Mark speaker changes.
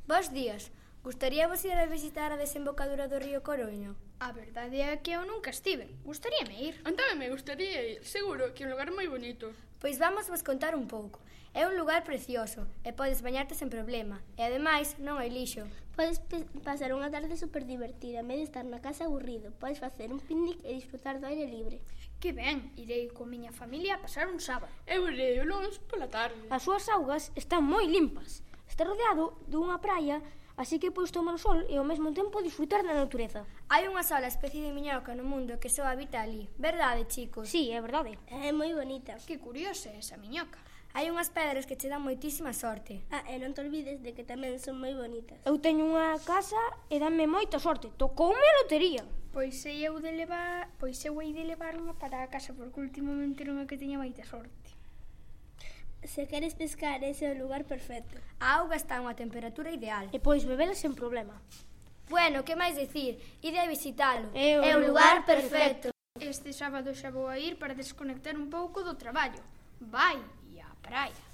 Speaker 1: Bos días. Gustaríavos ir a visitar a desembocadura do río Coroño?
Speaker 2: A verdade é que eu nunca estive. Gustaríame ir.
Speaker 3: Tamén me gustaría ir. Seguro que é un lugar moi bonito.
Speaker 1: Pois vamos vos contar un pouco. É un lugar precioso e podes bañarte sen problema. E ademais non hai lixo.
Speaker 4: Podes pasar unha tarde super divertida en vez de estar na casa aburrido. Podes facer un picnic e disfrutar do aire libre.
Speaker 2: Que ben, irei coa miña familia a pasar un sábado.
Speaker 3: Eu irei o luns pola tarde.
Speaker 5: As súas augas están moi limpas. Está rodeado dunha praia, así que podes tomar o sol e ao mesmo tempo disfrutar da natureza.
Speaker 1: Hai unha sola especie de miñoca no mundo que só habita ali. Verdade, chicos?
Speaker 5: Sí, é verdade.
Speaker 4: É moi bonita.
Speaker 2: Que curiosa é esa miñoca.
Speaker 1: Hai unhas pedras que che dan moitísima sorte.
Speaker 4: E non te olvides de que tamén son moi bonitas.
Speaker 5: Eu teño unha casa e danme moita sorte. Tocoume a lotería.
Speaker 2: Pois hei de levar unha para a casa, porque últimamente non é que teña moita sorte.
Speaker 4: Se queres pescar, ese é o lugar perfecto.
Speaker 1: A auga está a unha temperatura ideal.
Speaker 5: E podes bebela sen problema.
Speaker 1: Bueno, que máis dicir? Ide a visitalo.
Speaker 5: É
Speaker 1: o lugar perfecto.
Speaker 2: Este sábado xa vou a ir para desconectar un pouco do traballo. Vai, e a praia.